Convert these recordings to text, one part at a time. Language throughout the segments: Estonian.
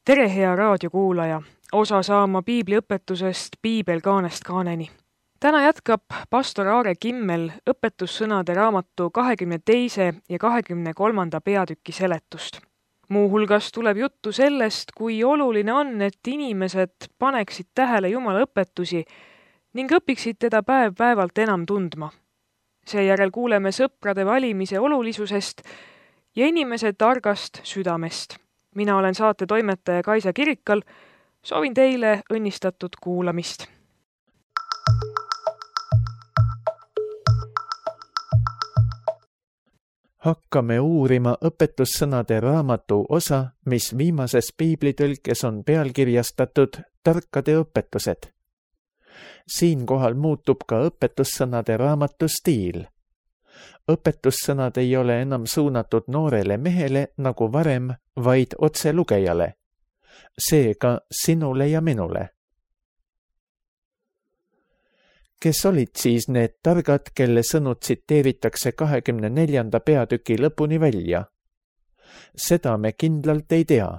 Tere, hea raadiokuulaja! Osa saama piibliõpetusest Piibel kaanest kaaneni. Täna jätkab pastor Aare Kimmel õpetussõnade raamatu 22. ja 23. peatüki seletust. Muuhulgas tuleb juttu sellest, kui oluline on, et inimesed paneksid tähele Jumala õpetusi ning õpiksid teda päev-päevalt enam tundma. Seejärel kuuleme sõprade valimise olulisusest ja inimese targast südamest. Mina olen saate toimetaja Kaisa Kirikal. Soovin teile õnnistatud kuulamist. Hakkame uurima õpetussõnade raamatu osa, mis viimases piiblitõlkes on pealkirjastatud Tarkade õpetused. Siinkohal muutub ka õpetussõnade raamatu stiil. Õpetussõnad ei ole enam suunatud noorele mehele nagu varem, vaid otse lugejale. Seega sinule ja minule. Kes olid siis need targad, kelle sõnu tsiteeritakse 24. peatüki lõpuni välja? Seda me kindlalt ei tea.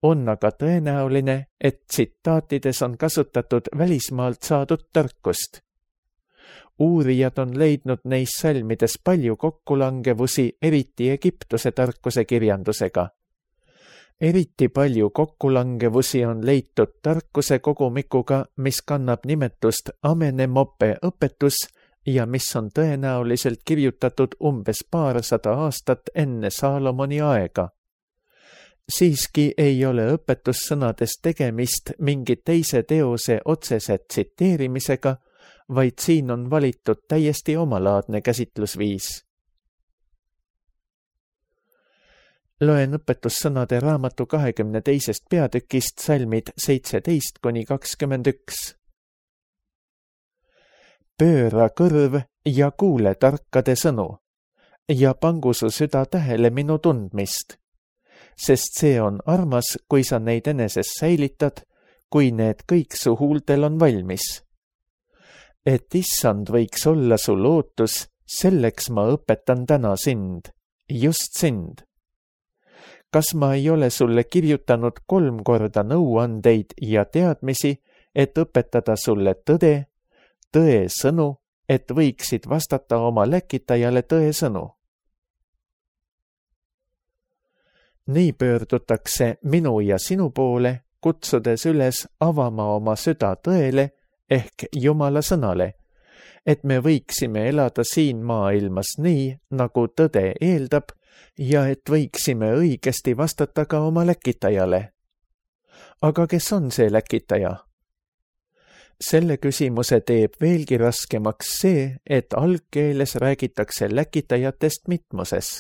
On aga tõenäoline, et tsitaatides on kasutatud välismaalt saadud tarkust. Uurijad on leidnud neis salmides palju kokkulangevusi, eriti Egiptuse tarkuse kirjandusega. Eriti palju kokkulangevusi on leitud tarkuse kogumikuga, mis kannab nimetust Amenemope õpetus ja mis on tõenäoliselt kirjutatud umbes 200 aastat enne Saalomoni aega. Siiski ei ole õpetussõnades tegemist mingi teise teose otsese tsiteerimisega, vaid siin on valitud täiesti omalaadne käsitlusviis. Loen õpetussõnade raamatu 22. peatükist salmid 17-21. Pööra kõrv ja kuule tarkade sõnu ja pangu su süda tähele minu tundmist, sest see on armas, kui sa neid eneses säilitad, kui need kõik su huultel on valmis. Et issand võiks olla su lootus, selleks ma õpetan täna sind, just sind. Kas ma ei ole sulle kirjutanud 3 korda nõuandeid ja teadmisi, et õpetada sulle tõde, tõe sõnu, et võiksid vastata oma läkitajale tõe sõnu? Nii pöördutakse minu ja sinu poole, kutsudes üles avama oma süda tõele, ehk Jumala sõnale, et me võiksime elada siin maailmas nii, nagu tõde eeldab, ja et võiksime õigesti vastata ka oma läkitajale. Aga kes on see läkitaja? Selle küsimuse teeb veelgi raskemaks see, et algkeeles räägitakse läkitajatest mitmuses.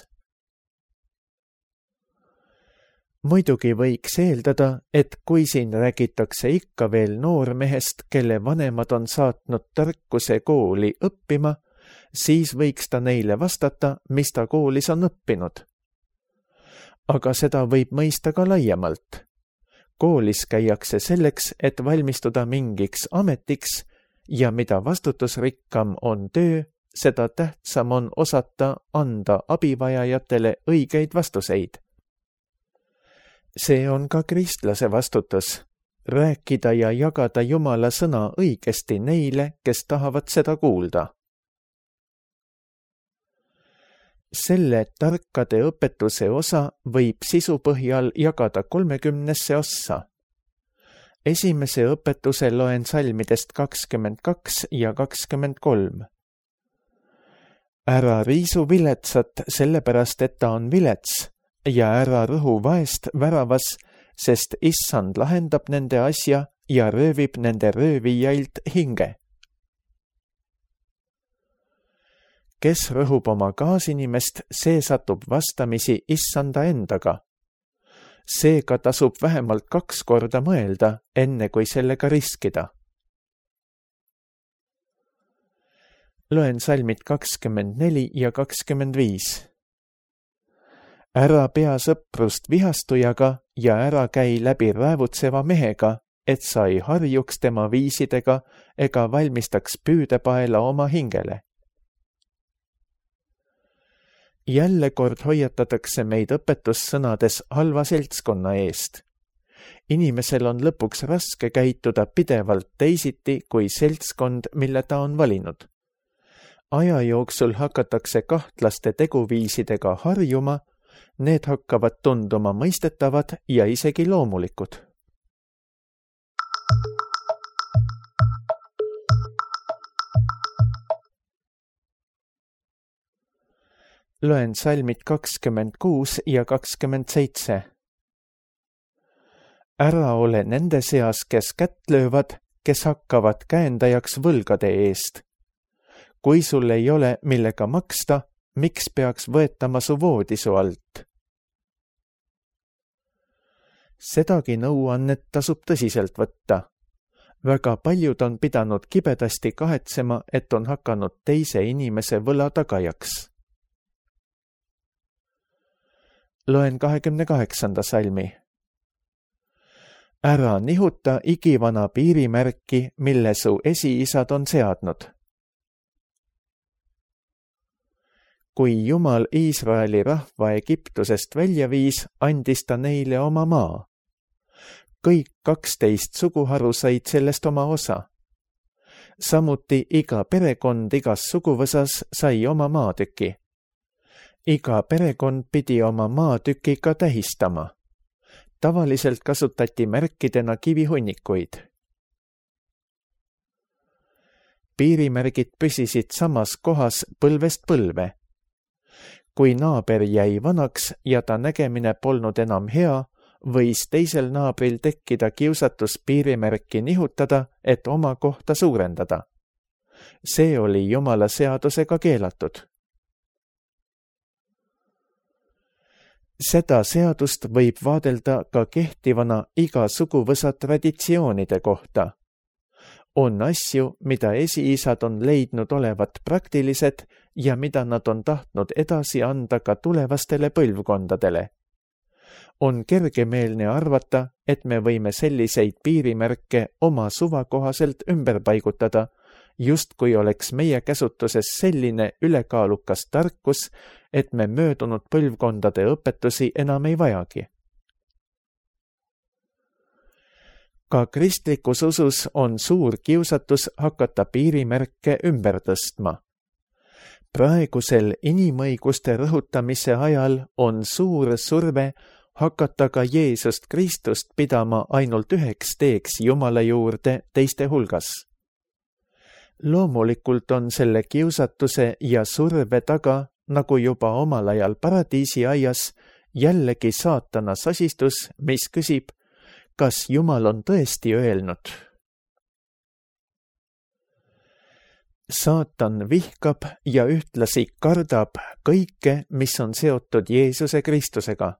Muidugi võiks eeldada, et kui siin räägitakse ikka veel noormehest, kelle vanemad on saatnud tarkuse kooli õppima, siis võiks ta neile vastata, mis ta koolis on õppinud. Aga seda võib mõista ka laiemalt. Koolis käiakse selleks, et valmistuda mingiks ametiks ja mida vastutusrikkam on töö, seda tähtsam on osata anda abivajajatele õigeid vastuseid. See on ka kristlase vastutus, rääkida ja jagada Jumala sõna õigesti neile, kes tahavad seda kuulda. Selle tarkade õpetuse osa võib sisu põhjal jagada 30 ossa. Esimese õpetuse loen salmidest 22 ja 23. Ära riisu viletsat, sellepärast et ta on vilets, ja ära rõhu vaest väravas, sest issand lahendab nende asja ja röövib nende röövijailt hinge. Kes rõhub oma kaasinimest, see satub vastamisi issanda endaga. Seega tasub vähemalt 2 korda mõelda, enne kui sellega riskida. Loen salmid 24 ja 25. Ära pea sõprust vihastujaga ja ära käi läbi räävutseva mehega, et sa ei harjuks tema viisidega ega valmistaks püüdepaela oma hingele. Jälle kord hoiatatakse meid õpetussõnades halva seltskonna eest. Inimesel on lõpuks raske käituda pidevalt teisiti kui seltskond, mille ta on valinud. Aja jooksul hakatakse kahtlaste teguviisidega harjuma, need hakkavad tunduma mõistetavad ja isegi loomulikud. Loen salmid 26 ja 27. Ära ole nende seas, kes kätt löövad, kes hakkavad käendajaks võlgade eest. Kui sul ei ole, millega maksta, miks peaks võetama su voodisu alt? Sedagi nõuannet tasub tõsiselt võtta. Väga paljud on pidanud kibedasti kahetsema, et on hakanud teise inimese võla tagajaks. Loen 28. salmi. Ära nihuta igivana piirimärki, mille su esiisad on seadnud. Kui Jumal Iisraeli rahva Egiptusest välja viis, andis ta neile oma maa. Kõik 12 suguharu said sellest oma osa. Samuti iga perekond igas suguvõsas sai oma maatüki. Iga perekond pidi oma maatükiga tähistama. Tavaliselt kasutati märkidena kivihunnikuid. Piirimärgid püsisid samas kohas põlvest põlve. Kui naaber jäi vanaks ja ta nägemine polnud enam hea, võis teisel naabril tekkida kiusatus piirimärki nihutada, et oma kohta suurendada. See oli Jumala seadusega keelatud. Seda seadust võib vaadelda ka kehtivana iga suguvõsa traditsioonide kohta. On asju, mida esiisad on leidnud olevat praktilised ja mida nad on tahtnud edasi anda ka tulevastele põlvkondadele. On kergemeelne arvata, et me võime selliseid piirimärke oma suva kohaselt ümber paigutada, justkui oleks meie käsutuses selline ülekaalukas tarkus, et me möödunud põlvkondade õpetusi enam ei vajagi. Ka kristlikus usus on suur kiusatus hakata piirimärke ümber tõstma. Praegusel inimõiguste rõhutamise ajal on suur surve hakata ka Jeesust Kristust pidama ainult üheks teeks Jumala juurde teiste hulgas. Loomulikult on selle kiusatuse ja surve taga, nagu juba omal ajal paradiisi aias, jällegi saatana sasistus, mis küsib, kas Jumal on tõesti öelnud. Saatan vihkab ja ühtlasi kardab kõike, mis on seotud Jeesuse Kristusega.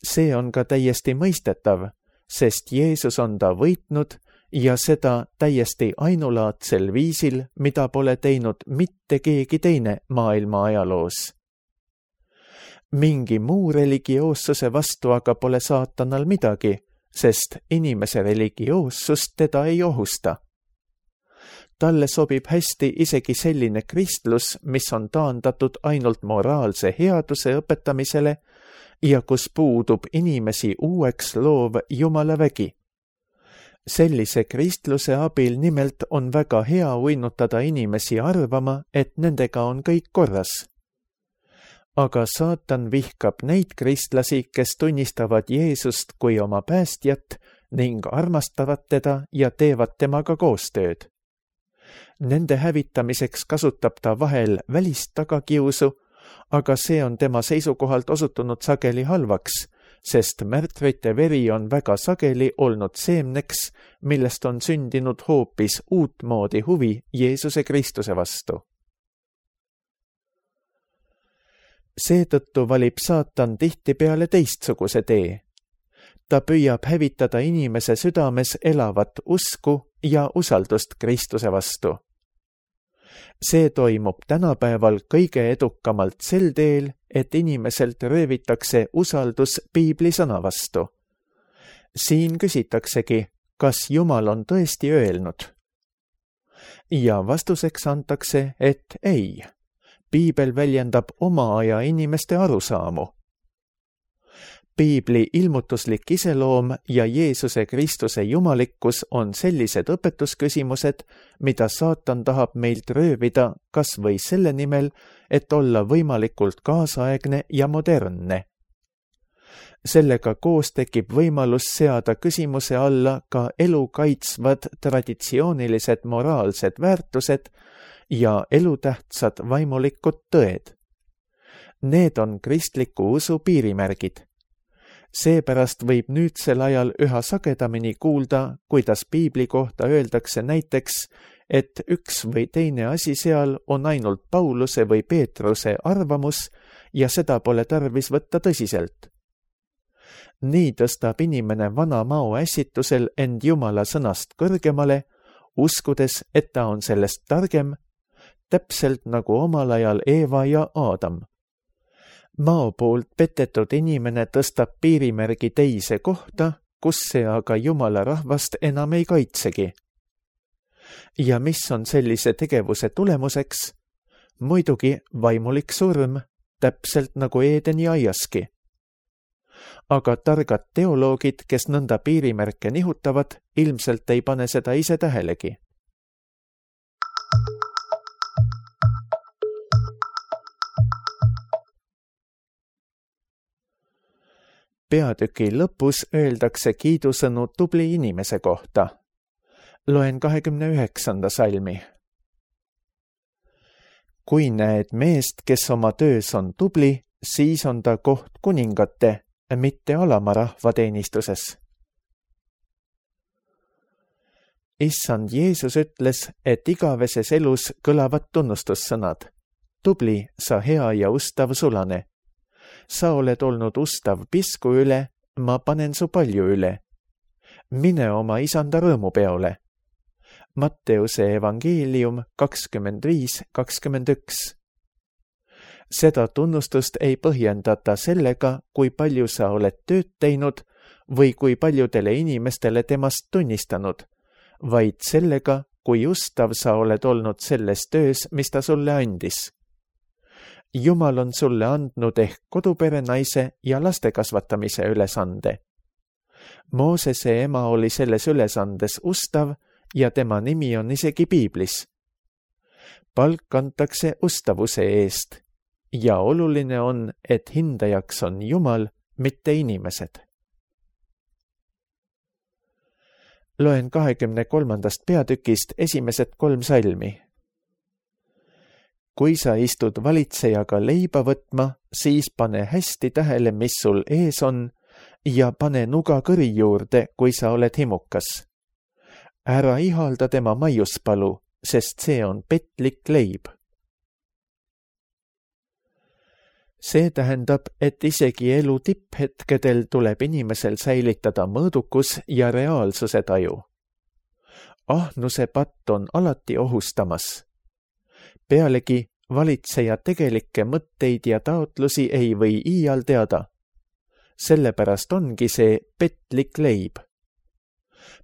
See on ka täiesti mõistetav, sest Jeesus on ta võitnud ja seda täiesti ainulaadsel viisil, mida pole teinud mitte keegi teine maailma ajaloos. Mingi muu religioossuse vastu aga pole saatanal midagi, sest inimese religioossust teda ei ohusta. Talle sobib hästi isegi selline kristlus, mis on taandatud ainult moraalse headuse õpetamisele ja kus puudub inimesi uueks loov Jumala vägi. Sellise kristluse abil nimelt on väga hea uinutada inimesi arvama, et nendega on kõik korras. Aga saatan vihkab neid kristlasi, kes tunnistavad Jeesust kui oma päästjat ning armastavad teda ja teevad temaga koostööd. Nende hävitamiseks kasutab ta vahel välist tagakiusu, aga see on tema seisukohalt osutunud sageli halvaks, sest märtrite veri on väga sageli olnud seemneks, millest on sündinud hoopis uutmoodi huvi Jeesuse Kristuse vastu. Seetõttu valib saatan tihtipeale teistsuguse tee. Ta püüab hävitada inimese südames elavat usku ja usaldust Kristuse vastu. See toimub tänapäeval kõige edukamalt sel teel, et inimeselt röövitakse usaldus Piibli sõna vastu. Siin küsitaksegi, kas Jumal on tõesti öelnud. Ja vastuseks antakse, et ei. Piibel väljendab oma aja inimeste arusaamu. Piibli ilmutuslik iseloom ja Jeesuse Kristuse jumalikkus on sellised õpetusküsimused, mida saatan tahab meilt röövida kas või selle nimel, et olla võimalikult kaasaegne ja modernne. Sellega koos tekib võimalus seada küsimuse alla ka elu kaitsvad traditsioonilised moraalsed väärtused ja elutähtsad vaimulikud tõed. Need on kristliku usu piirimärgid. Seepärast võib nüüdsel ajal üha sagedamini kuulda, kuidas Piibli kohta öeldakse näiteks, et üks või teine asi seal on ainult Pauluse või Peetruse arvamus ja seda pole tarvis võtta tõsiselt. Nii tõstab inimene vana mao ässitusel end Jumala sõnast kõrgemale, uskudes, et ta on sellest targem, täpselt nagu omal ajal Eeva ja Aadam. Mao poolt petetud inimene tõstab piirimärgi teise kohta, kus see aga Jumala rahvast enam ei kaitsegi. Ja mis on sellise tegevuse tulemuseks? Muidugi vaimulik surm, täpselt nagu Eedeni aiaski. Aga targad teoloogid, kes nõnda piirimärke nihutavad, ilmselt ei pane seda ise tähelegi. Peatüki lõpus öeldakse kiidusõnu tubli inimese kohta. Loen 29. salmi. Kui näed meest, kes oma töös on tubli, siis on ta koht kuningate, mitte alama rahva teenistuses. Issand Jeesus ütles, et igaveses elus kõlavad tunnustussõnad. Tubli, sa hea ja ustav sulane. Sa oled olnud ustav pisku üle, ma panen su palju üle. Mine oma isanda rõõmupeole. Matteuse evangeelium 25:21. Seda tunnustust ei põhjendata sellega, kui palju sa oled tööd teinud või kui paljudele inimestele temast tunnistanud, vaid sellega, kui ustav sa oled olnud selles töös, mis ta sulle andis. Jumal on sulle andnud ehk koduperenaise ja laste kasvatamise ülesande. Moosese ema oli selles ülesandes ustav ja tema nimi on isegi Piiblis. Palk antakse ustavuse eest ja oluline on, et hindajaks on Jumal, mitte inimesed. Loen 23. peatükist esimesed 3 salmi. Kui sa istud valitsejaga leiba võtma, siis pane hästi tähele, mis sul ees on, ja pane nuga kõri juurde, kui sa oled himukas. Ära ihalda tema maiuspalu, sest see on petlik leib. See tähendab, et isegi elu tipphetkedel tuleb inimesel säilitada mõõdukus ja reaalsuse taju. Ahnuse patt on alati ohustamas. Pealegi valitseja tegelikke mõtteid ja taotlusi ei või iial teada. Sellepärast ongi see petlik leib.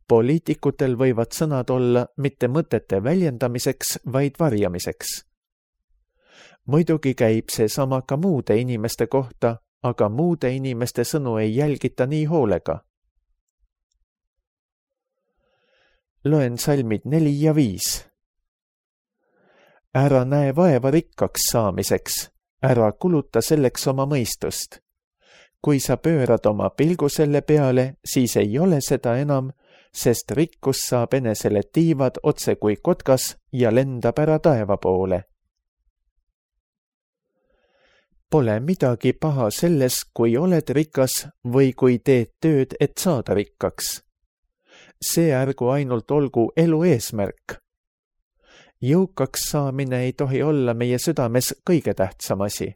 Poliitikutel võivad sõnad olla mitte mõtete väljendamiseks, vaid varjamiseks. Muidugi käib see sama ka muude inimeste kohta, aga muude inimeste sõnu ei jälgita nii hoolega. Loen salmid 4 ja 5. Ära näe vaeva rikkaks saamiseks, ära kuluta selleks oma mõistust. Kui sa pöörad oma pilgu selle peale, siis ei ole seda enam, sest rikkus saab enesele tiivad otse kui kotkas ja lendab ära taeva poole. Pole midagi paha selles, kui oled rikas või kui teed tööd, et saada rikkaks. See ärgu ainult olgu elu eesmärk. Jõukaks saamine ei tohi olla meie südames kõige tähtsam asi.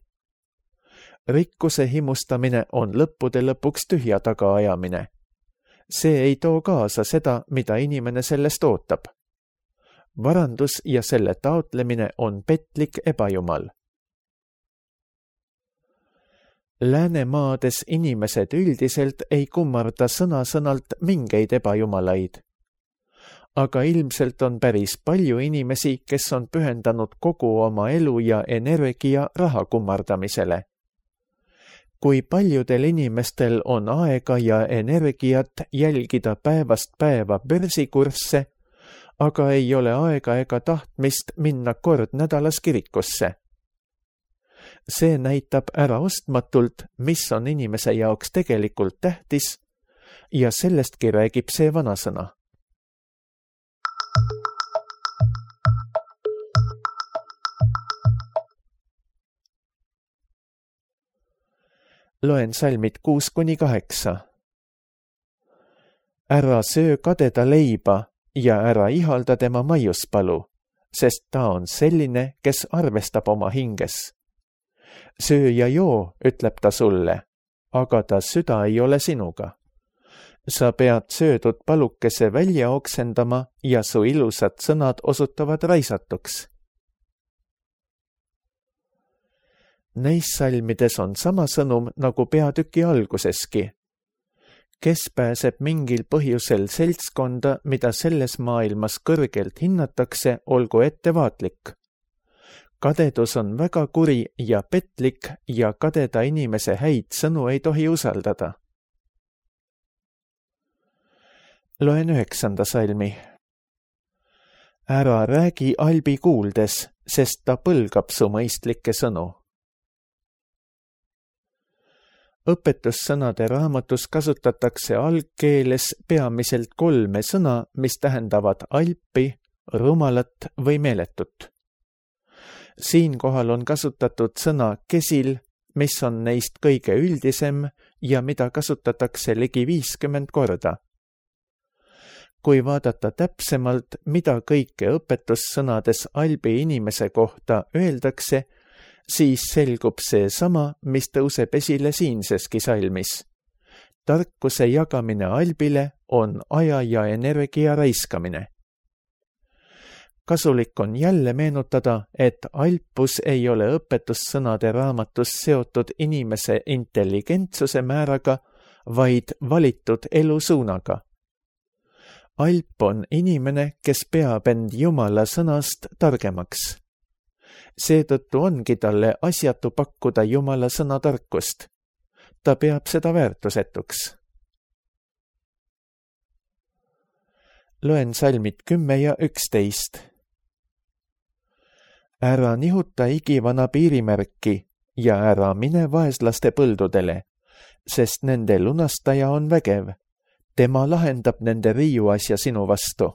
Rikkuse himustamine on lõppude lõpuks tühja tagaajamine. See ei too kaasa seda, mida inimene sellest ootab. Varandus ja selle taotlemine on petlik ebajumal. Läänemaades inimesed üldiselt ei kummarda sõna-sõnalt mingeid ebajumalaid. Aga ilmselt on päris palju inimesi, kes on pühendanud kogu oma elu ja energia raha kummardamisele. kui paljudel inimestel on aega ja energiat jälgida päevast päeva börsikursse, aga ei ole aega ega tahtmist minna kord nädalas kirikusse. See näitab äraostmatult, mis on inimese jaoks tegelikult tähtis ja sellestki räägib see vanasõna. Loen salmid 6-8. Ära söö kadeda leiba ja ära ihalda tema maiuspalu, sest ta on selline, kes arvestab oma hinges. Söö ja joo, ütleb ta sulle, aga ta süda ei ole sinuga. Sa pead söödud palukese välja oksendama ja su ilusad sõnad osutavad raisatuks. Neis salmides on sama sõnum nagu peatüki alguseski. Kes pääseb mingil põhjusel seltskonda, mida selles maailmas kõrgelt hinnatakse, olgu ettevaatlik. Kadedus on väga kuri ja petlik ja kadeda inimese häid sõnu ei tohi usaldada. Loen 9. salmi. Ära räägi albi kuuldes, sest ta põlgab su mõistlikke sõnu. Õpetussõnade raamatus kasutatakse algkeeles peamiselt 3 sõna, mis tähendavad alpi, rumalat või meeletut. Siinkohal on kasutatud sõna kesil, mis on neist kõige üldisem ja mida kasutatakse ligi 50 korda. Kui vaadata täpsemalt, mida kõike õpetussõnades albi inimese kohta öeldakse, siis selgub see sama, mis tõuseb esile siinseski salmis. Tarkuse jagamine albile on aja ja energia raiskamine. Kasulik on jälle meenutada, et alpus ei ole õpetussõnade raamatus seotud inimese intelligentsuse määraga, vaid valitud elusuunaga. Alp on inimene, kes peab end Jumala sõnast targemaks. Seetõttu ongi talle asjatu pakkuda Jumala sõna tarkust. Ta peab seda väärtusetuks. Loen salmid 10 ja 11. Ära nihuta igivana piirimärki ja ära mine vaeslaste põldudele, sest nende lunastaja on vägev. Tema lahendab nende riiuasja sinu vastu.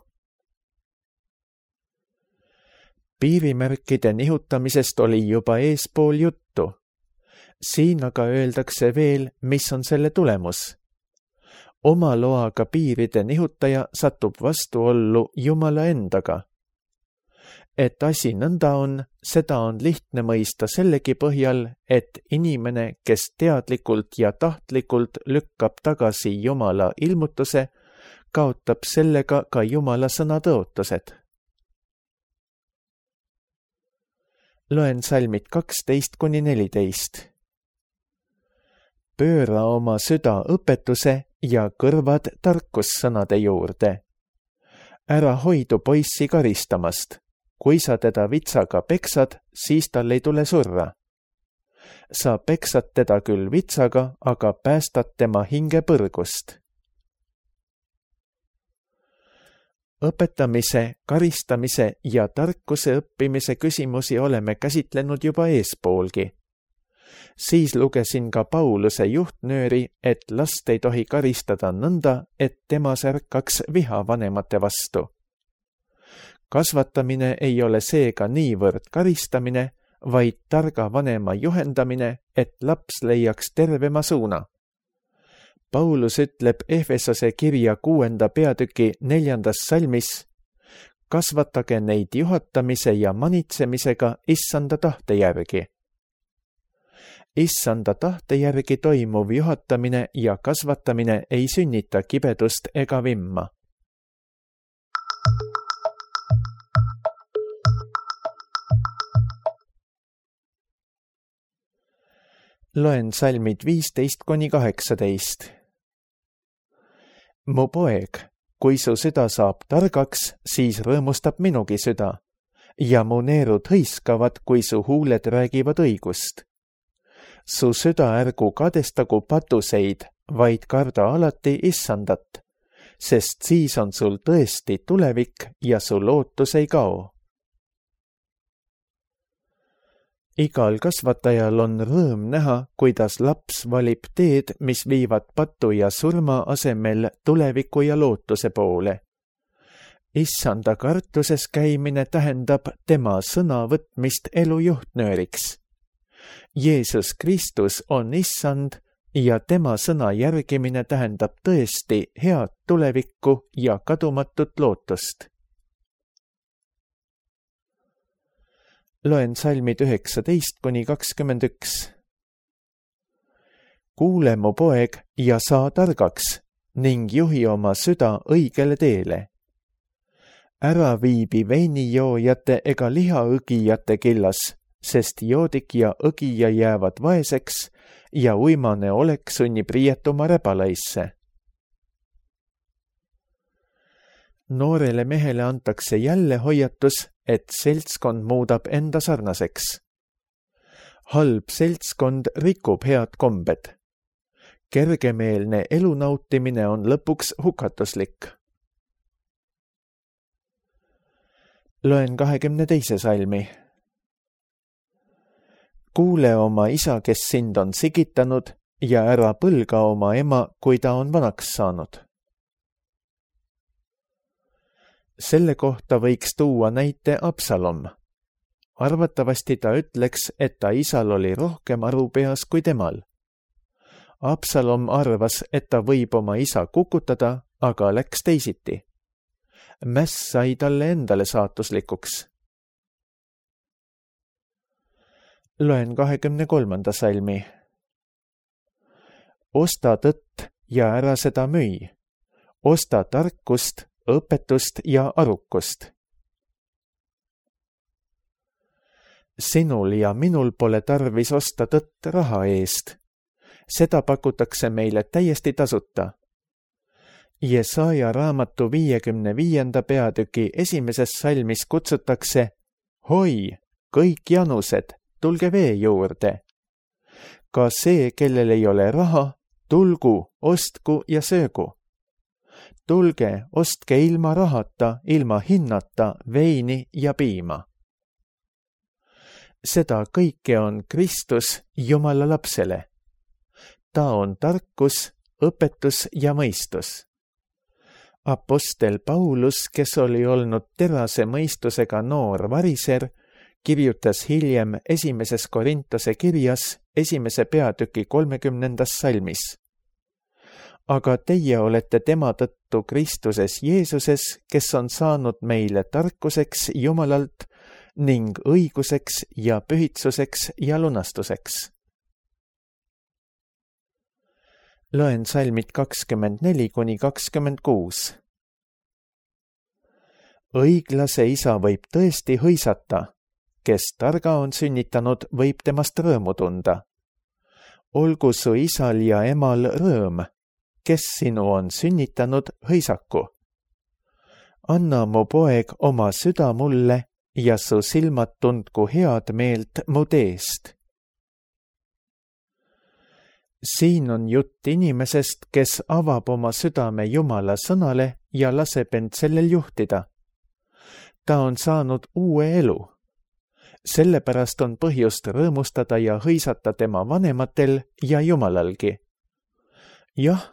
Piirimärkide nihutamisest oli juba eespool juttu. Siin aga öeldakse veel, mis on selle tulemus. Oma loaga piiride nihutaja satub vastuollu Jumala endaga. Et asi nõnda on, seda on lihtne mõista sellegi põhjal, et inimene, kes teadlikult ja tahtlikult lükkab tagasi Jumala ilmutuse, kaotab sellega ka Jumala sõna tõotused. Loen salmid 12-14. Pööra oma süda õpetuse ja kõrvad tarkussõnade juurde. Ära hoidu poissi karistamast. Kui sa teda vitsaga peksad, siis tal ei tule surra. Sa peksad teda küll vitsaga, aga päästad tema hinge põrgust. Õpetamise, karistamise ja tarkuse õppimise küsimusi oleme käsitlenud juba eespoolgi. Siis lugesin ka Pauluse juhtnööri, et last ei tohi karistada nõnda, et temas ärkaks viha vanemate vastu. Kasvatamine ei ole seega niivõrd karistamine, vaid targa vanema juhendamine, et laps leiaks tervema suuna. Paulus ütleb Efesose kirja 6. peatüki 4. salmis, kasvatage neid juhatamise ja manitsemisega issanda tahte järgi. Issanda tahte järgi toimuv juhatamine ja kasvatamine ei sünnita kibedust ega vimma. Loen salmid 15-18. Mu poeg, kui su süda saab targaks, siis rõõmustab minugi süda, ja mu neerud hõiskavad, kui su huuled räägivad õigust. Su süda ärgu kadestagu patuseid, vaid karda alati Issandat, sest siis on sul tõesti tulevik ja su lootus ei kao. Igal kasvatajal on rõõm näha, kuidas laps valib teed, mis viivad patu ja surma asemel tuleviku ja lootuse poole. Issanda kartuses käimine tähendab tema sõna võtmist elu juhtnööriks. Jeesus Kristus on Issand ja tema sõna järgimine tähendab tõesti head tulevikku ja kadumatut lootust. Loen salmid 19–21. Kuule, mu poeg, ja saa targaks ning juhi oma süda õigele teele. Ära viibi veinijoojate ega lihaõgijate killas, sest joodik ja õgija jäävad vaeseks ja uimane olek sunnib riietuma räbalaisse. Noorele mehele antakse jälle hoiatus, et seltskond muudab enda sarnaseks. Halb seltskond rikub head kombed. Kergemeelne elu nautimine on lõpuks hukatuslik. Loen 22. salmi. Kuule oma isa, kes sind on sigitanud, ja ära põlga oma ema, kui ta on vanaks saanud. Selle kohta võiks tuua näite Absalom. Arvatavasti ta ütleks, et ta isal oli rohkem aru peas kui temal. Absalom arvas, et ta võib oma isa kukutada, aga läks teisiti. Mäss sai talle endale saatuslikuks. Loen 23. salmi. Osta tõtt ja ära seda müü. Osta tarkust, õpetust ja arukust. Sinul ja minul pole tarvis osta tõtt raha eest. Seda pakutakse meile täiesti tasuta. Jesaja raamatu 55. peatüki 1. salmis kutsutakse: Hoi, kõik janused, tulge vee juurde. Ka see, kellel ei ole raha, tulgu, ostku ja söögu. Tulge, ostke ilma rahata, ilma hinnata veini ja piima. Seda kõike on Kristus Jumala lapsele. Ta on tarkus, õpetus ja mõistus. Apostel Paulus, kes oli olnud terase mõistusega noor variser, kirjutas hiljem 1. Korintuse kirjas 1. peatüki 30. salmis. Aga teie olete tema tõttu Kristuses Jeesuses, kes on saanud meile tarkuseks Jumalalt ning õiguseks ja pühitsuseks ja lunastuseks. Loen salmid 24–26. Õiglase isa võib tõesti hõisata, kes targa on sünnitanud, võib temast rõõmu tunda. Olgu su isal ja emal rõõm, kes sinu on sünnitanud, hõisaku. Anna, mu poeg, oma süda mulle ja su silmad tundku head meelt mu teest. Siin on jutt inimesest, kes avab oma südame Jumala sõnale ja laseb end sellel juhtida. Ta on saanud uue elu. Sellepärast on põhjust rõõmustada ja hõisata tema vanematel ja Jumalalgi. Jah,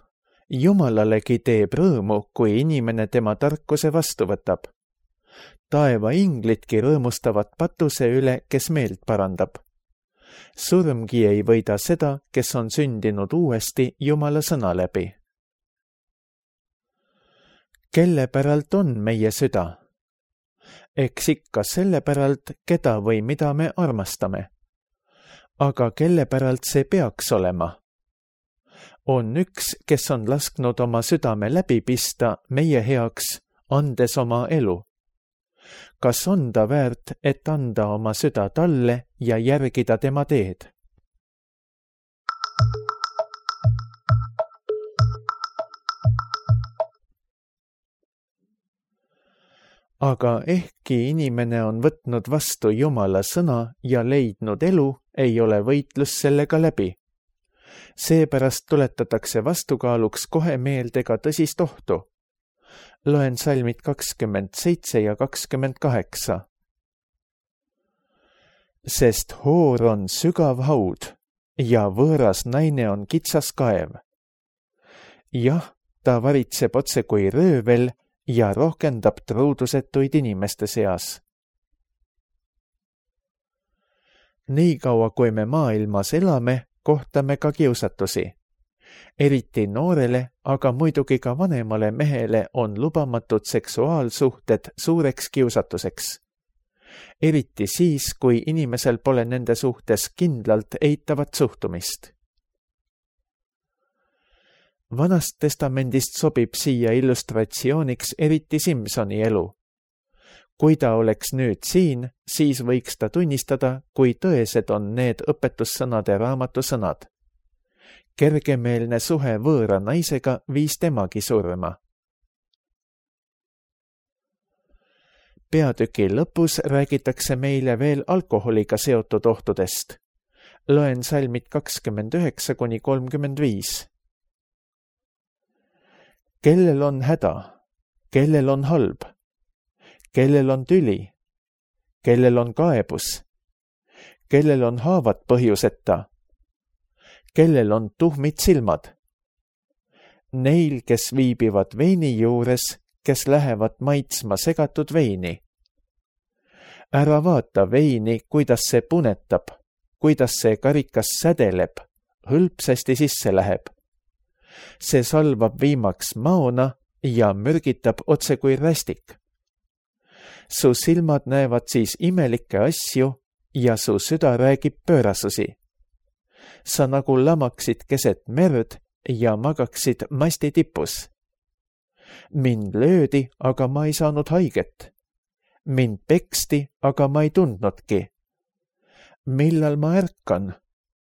Jumalalegi teeb rõõmu, kui inimene tema tarkuse vastu võtab. Taeva inglitki rõõmustavad patuse üle, kes meelt parandab. Surmgi ei võida seda, kes on sündinud uuesti Jumala sõna läbi. Kelle päralt on meie süda? Eks ikka selle päralt, keda või mida me armastame. Aga kelle päralt see peaks olema? On üks, kes on lasknud oma südame läbi pista meie heaks, andes oma elu. Kas on ta väärt, et anda oma süda talle ja järgida tema teed? Aga ehkki inimene on võtnud vastu Jumala sõna ja leidnud elu, ei ole võitlus sellega läbi. Seepärast tuletatakse vastukaaluks kohe meelde ka tõsist ohtu. Loen salmid 27 ja 28. Sest hoor on sügav haud ja võõras naine on kitsas kaev. Jah, ta varitseb otse kui röövel ja rohkendab truudusetuid inimeste seas. Nii kaua, kui me maailmas elame, kohtame ka kiusatusi. Eriti noorele, aga muidugi ka vanemale mehele on lubamatud seksuaalsuhted suureks kiusatuseks. Eriti siis, kui inimesel pole nende suhtes kindlalt eitavat suhtumist. Vanast testamendist sobib siia illustratsiooniks eriti Simsoni elu. Kui ta oleks nüüd siin, siis võiks ta tunnistada, kui tõesed on need õpetussõnade raamatu sõnad. Kergemeelne suhe võõra naisega viis temagi surma. Peatüki lõpus räägitakse meile veel alkoholiga seotud ohtudest. Loen salmid 29–35. Kellel on häda? Kellel on halb? Kellel on tüli? Kellel on kaebus? Kellel on haavad põhjuseta? Kellel on tuhmid silmad? Neil, kes viibivad veini juures, kes lähevad maitsma segatud veini. Ära vaata veini, kuidas see punetab, kuidas see karikas sädeleb, hõlpsasti sisse läheb. See salvab viimaks maona ja mürgitab otse kui rästik. Su silmad näevad siis imelikke asju ja su süda räägib pöörasusi. Sa nagu lamaksid keset merd ja magaksid masti tipus. Mind löödi, aga ma ei saanud haiget. Mind peksti, aga ma ei tundnudki. Millal ma ärkan?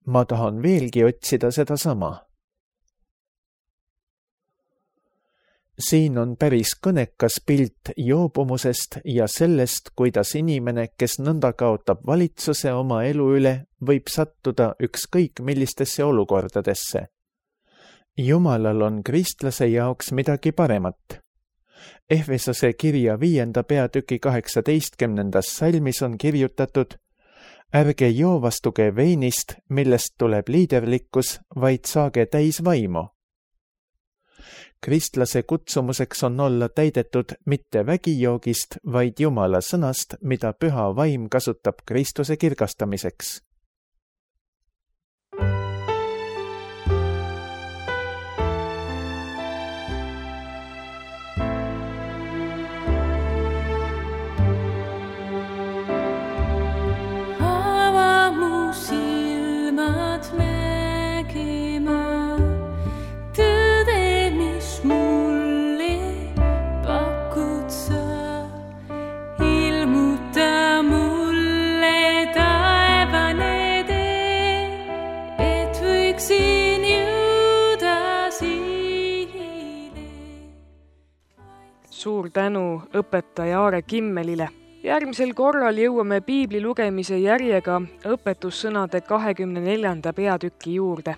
Ma tahan veelgi otsida seda sama. Siin on päris kõnekas pilt joobumusest ja sellest, kuidas inimene, kes nõnda kaotab valitsuse oma elu üle, võib sattuda ükskõik millistesse olukordadesse. Jumalal on kristlase jaoks midagi paremat. Efesose kirja 5. peatüki 18. salmis on kirjutatud: ärge joovastuge veinist, millest tuleb liiderlikkus, vaid saage täis vaimu. Kristlase kutsumuseks on olla täidetud mitte vägijoogist, vaid Jumala sõnast, mida püha vaim kasutab Kristuse kirgastamiseks. Suur tänu õpetaja Aare Kimmelile. Järgmisel korral jõuame piibli lugemise järjega õpetussõnade 24. peatüki juurde.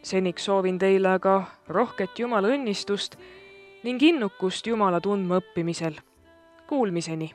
Seniks soovin teile aga rohket Jumala õnnistust ning innukust Jumala tundma õppimisel. Kuulmiseni!